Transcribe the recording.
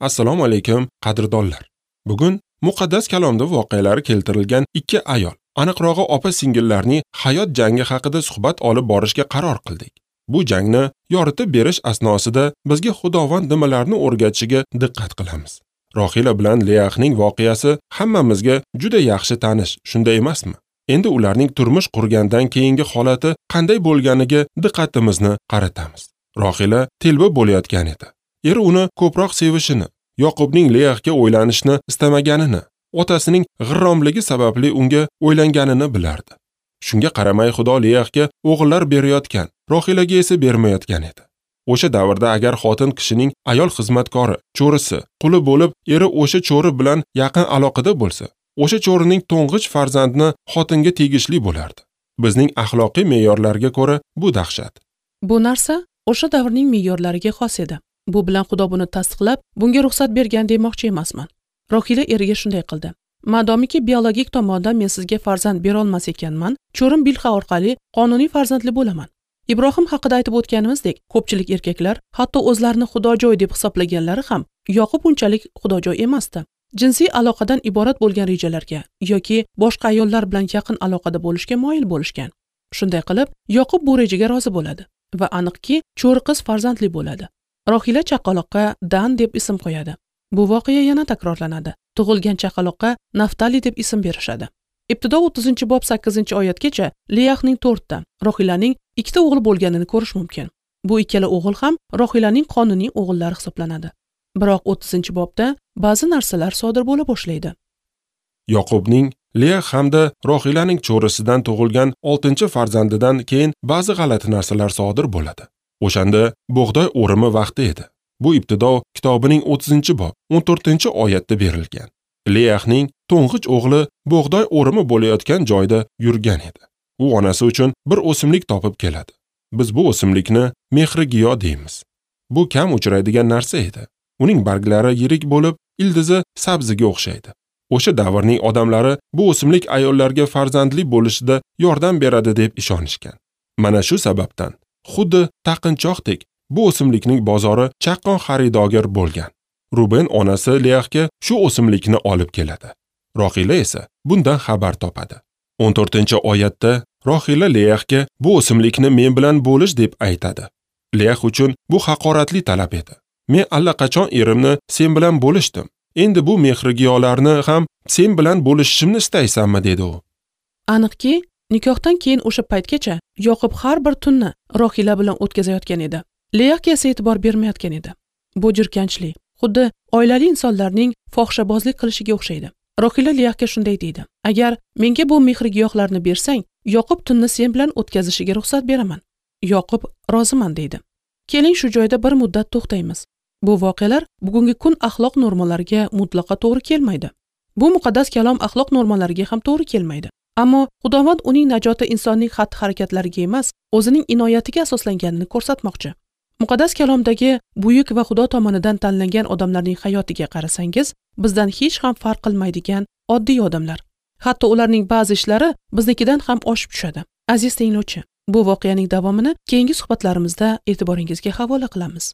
Assalomu alaykum qadrdonlar. Bugun muqaddas kalomda voqealari keltirilgan ikki ayol, aniqrog'i opa-singillarning hayot jangi haqida suhbat olib borishga qaror qildik. Bu jangni yoritib berish asnosida bizga Xudovand nimalarni o'rgatishiga diqqat qilamiz. Rohila bilan Leahning voqeasi hammamizga juda yaxshi tanish, shunday emasmi? Endi ularning turmush qurgandan keyingi holati qanday bo'lganiga diqqatimizni qaratamiz. Rohila telba bo'layotgan edi. Eri uni ko'proq sevishini, Yoqubning Leahga o'ylanishni istamaganini, otasining g'irromligi sababli unga o'ylanganini bilardi. Shunga qaramay Xudo Leahga o'g'illar berayotgan, Rohilaga esa bermayotgan edi. O'sha davrda agar xotin kishining ayol xizmatkori, cho'risi, quli bo'lib, eri o'sha cho'ri bilan yaqin aloqada bo'lsa, o'sha cho'rining to'ng'ich farzandini xotinga tegishli bo'lardi. Bizning axloqiy me'yorlarga ko'ra bu dahshat. Bu narsa o'sha davrning me'yorlariga xos edi. Bu bilan Xudo buni tasdiqlab, bunga ruxsat bergan demoqchi emasman. Rohila eriga shunday qildi. Madomiki biologik tomondan men sizga farzand bera olmas ekanman, cho'rim Bilha orqali qonuniy farzandli bo'laman. Ibrohim haqida aytib o'tganimizdek, ko'pchilik erkaklar hatto o'zlarini xudojo'y deb hisoblaganlari ham Yoqub unchalik xudojo'y emasdi. Jinsiy aloqadan iborat bo'lgan rejalarga yoki boshqa ayollar bilan yaqin aloqada bo'lishga moyil bo'lishgan. Shunday qilib, Yoqub bu rejaga rozi bo'ladi va aniqki, cho'ri qiz farzandli bo'ladi. Rohila chaqaloqqa Dan deb ism qo'yadi. Bu voqea yana takrorlanadi. Tug'ilgan chaqaloqqa Naftali deb ism berishadi. Ibtido 30-bob 8-oyatgacha Leahning 4 ta, Rohilaning 2 ta o'g'li bo'lganini ko'rish mumkin. Bu ikkala o'g'il ham Rohilaning qonuniy o'g'illari hisoblanadi. Biroq 30-bobda ba'zi narsalar sodir bo'la boshlaydi. Yoqubning Leah hamda Rohilaning cho'risidan tug'ilgan 6-farzandidan keyin ba'zi g'alati narsalar sodir bo'ladi. O'shanda bug'doy o'rimi vaqti edi. Bu Ibtido kitobining 30-bob 14-oyatda berilgan. Leahning to'ng'ich o'g'li bug'doy o'rimi bo'layotgan joyda yurgan edi. U onasi uchun bir o'simlik topib keladi. Biz bu o'simlikni mehrigiyo deymiz. Bu kam uchraydigan narsa edi. Uning barglari yirik bo'lib, ildizi sabziga o'xshaydi. O'sha davrning odamlari bu o'simlik ayollarga farzandli bo'lishida yordam beradi deb ishonishgan. Mana shu sababdan xuddi taqinchoqdek bu o'simlikning bozori chaqqon xaridorgir bo'lgan. Ruben onasi Leahga shu o'simlikni olib keladi. Rohila esa bundan xabar topadi. 14-oyatda Rohila Leahga bu o'simlikni men bilan bo'lish deb aytadi. Leah uchun bu haqoratli talab edi. Men allaqachon erimni sen bilan bo'lishdim. Endi bu mehrigiyolarni ham sen bilan bo'lishishimni istaysanmi, dedi u. Aniqki, nikohdan keyin o'sha paytgacha Yoqub har bir tunni Rohila bilan o'tkazayotgan edi. Leahga esa e'tibor bermayotgan edi. Bu jirkanchli, xuddi oilali insonlarning fohishabozlik qilishiga o'xshaydi. Rohila Leahga shunday deydi: "Agar menga bu mehrigiyohlarni bersang, Yoqub tunni sen bilan o'tkazishiga ruxsat beraman." Yoqub roziman deydi. Keling shu joyda bir muddat to'xtaymiz. Bu voqealar bugungi kun axloq normalariga mutlaqo to'g'ri kelmaydi. Bu muqaddas kalom axloq normalariga ham to'g'ri kelmaydi. Ammo Xudovand uning najoti insonning xatti-harakatlariga emas, o'zining inoyatiga asoslanganini ko'rsatmoqchi. Muqaddas kalomdagi buyuk va Xudo tomonidan tanlangan odamlarning hayotiga qarasangiz, bizdan hech ham farq qilmaydigan oddiy odamlar. Hatto ularning ba'zi ishlari biznikidan ham oshib tushadi. Aziz tinglovchi, bu voqeaning davomini keyingi suhbatlarimizda e'tiboringizga havola qilamiz.